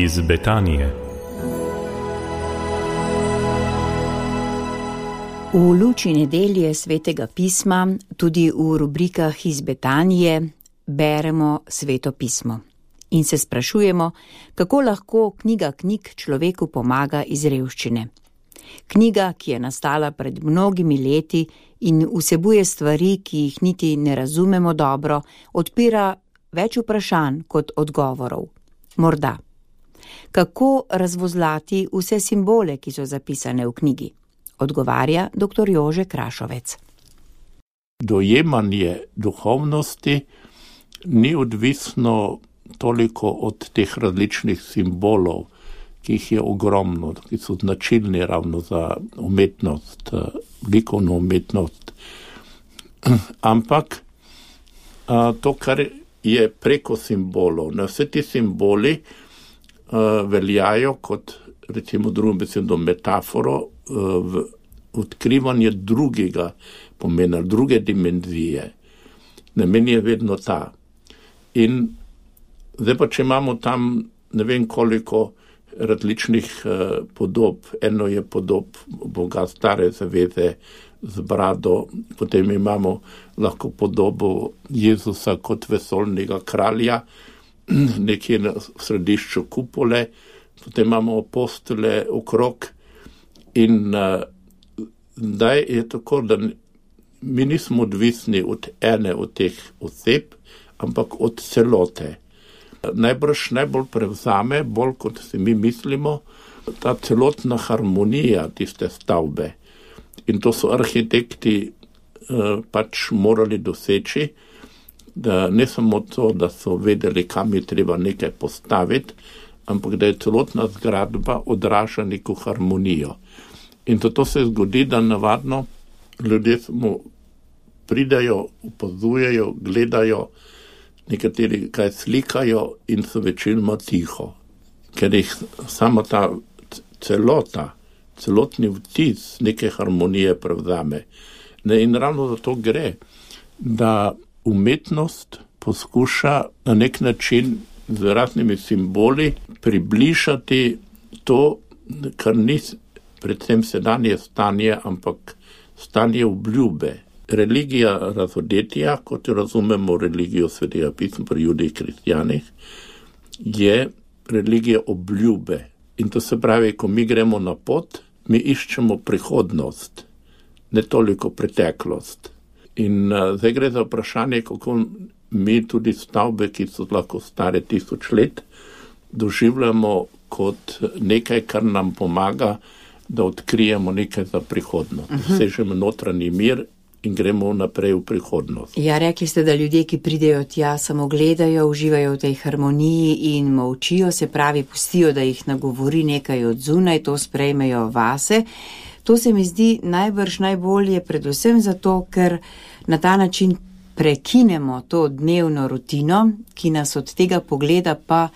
iz Betanije. V luči nedelje Svetega pisma, tudi v rubrikah iz Betanije, beremo Sveto pismo in se sprašujemo, kako lahko knjiga knjig človeku pomaga iz revščine. Knjiga, ki je nastala pred mnogimi leti in vsebuje stvari, ki jih niti ne razumemo dobro, odpira več vprašanj kot odgovorov. Morda. Kako razvozlati vse simbole, ki so zapisane v knjigi? Odgovarja dr. Jože Krašovec. Dojemanje duhovnosti ni odvisno toliko od teh različnih simbolov, ki jih je ogromno, ki so značilni ravno za umetnost, likovno umetnost. Ampak to, kar je preko simbolov, vse ti simboli veljajo kot, recimo drugim besedom, metaforo v odkrivanje drugega pomena, druge dimenzije. Namen je vedno ta. In zdaj pa, če imamo tam ne vem koliko različnih podob, eno je podob Boga stare zaveze z brado, potem imamo lahko podobo Jezusa kot vesoljnega kralja, nekje na središču kupole, potem imamo apostole okrog in zdaj je tako, da mi nismo odvisni od ene od teh oseb, ampak od celote. Najbolj prevzame, bolj kot si mi mislimo, ta celotna harmonija tiste stavbe. In to so arhitekti pač morali doseči, da ne samo to, da so vedeli, kam je treba nekaj postaviti, ampak da je celotna zgradba odraža neko harmonijo. In to se zgodi, da navadno ljudje samo pridajo, opazujejo, gledajo, nekateri kaj slikajo in so večinoma tiho. Ker jih sama ta celota, celotni vtis neke harmonije prevzame. In ravno za to gre, da umetnost poskuša na nek način z raznimi simboli približati to, kar ni predvsem sedanje stanje, ampak stanje obljube. Religija razodetja, kot jo razumemo religijo Svetega pisma pri Judih in kristjanih, je religija obljube. In to se pravi, ko mi gremo na pot, mi iščemo prihodnost, ne toliko preteklost. In zdaj gre za vprašanje, kako mi tudi stavbe, ki so lahko stare 1000 let, doživljamo kot nekaj, kar nam pomaga, da odkrijemo nekaj za prihodnost. Sežemo notranji mir in gremo naprej v prihodnost. Ja, rekli ste, da ljudje, ki pridejo tja, samo gledajo, uživajo v tej harmoniji in molčijo, se pravi, pustijo, da jih nagovori nekaj od zunaj, to sprejmejo vase. To se mi zdi najbolje predvsem zato, ker na ta način prekinemo to dnevno rutino, ki nas od tega pogleda pa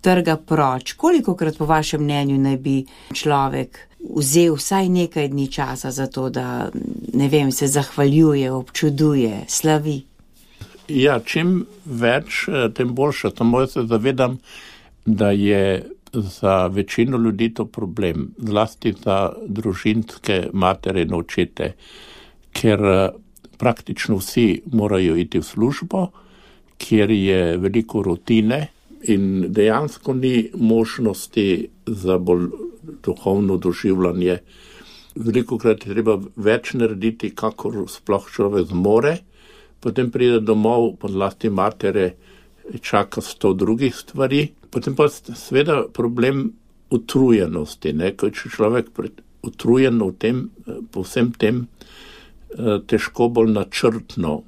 trga proč. Kolikokrat po vašem mnenju naj bi človek vzel vsaj nekaj dni časa za to, da, ne vem, se zahvaljuje, občuduje, slavi? Ja, čim več, tem boljše. Samo jaz se zavedam, da je za večino ljudi to problem, zlasti za družinske matere in očete, ker praktično vsi morajo iti v službo, kjer je veliko rutine in dejansko ni možnosti za bolj duhovno doživljanje. Velikokrat je treba več narediti, kakor sploh človek zmore, potem pride domov, zlasti matere, čaka 100 drugih stvari, potem pa seveda problem utrujenosti, ko je človek utrujen v tem, po vsem tem, težko bolj načrtno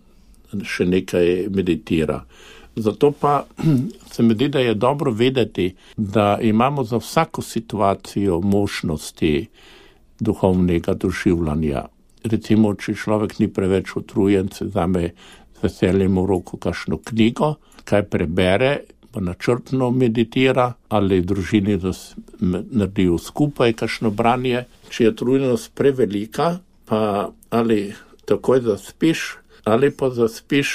še nekaj meditira. Zato pa se mi zdi, da je dobro vedeti, da imamo za vsako situacijo možnosti duhovnega doživljanja. Recimo, če človek ni preveč utrujen, se vzame z veseljem v roko kakšno knjigo, kaj prebere, pa načrtno meditira, ali družini naredijo skupaj kakšno branje. Če je utrujenost prevelika, pa ali takoj zaspiš, ali pa zaspiš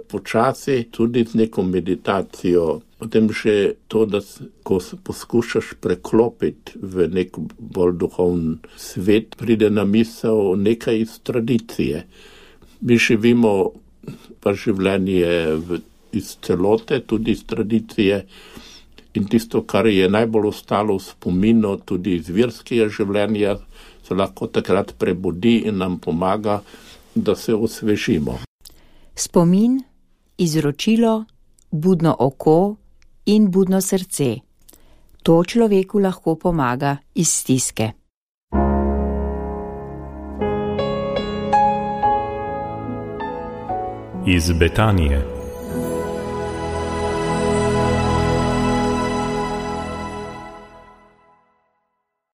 počasi tudi z neko meditacijo. Potem še to, da ko se poskušaš preklopiti v nek bolj duhovni svet, pride na misel nekaj iz tradicije. Mi živimo pa življenje iz celote, tudi iz tradicije, in tisto, kar je najbolj ostalo v spominu, tudi iz verskega življenja, se lahko takrat prebudi in nam pomaga, da se osvežimo. Spomin, izročilo, budno oko in budno srce. To človeku lahko pomaga iz stiske. Iz Betanije.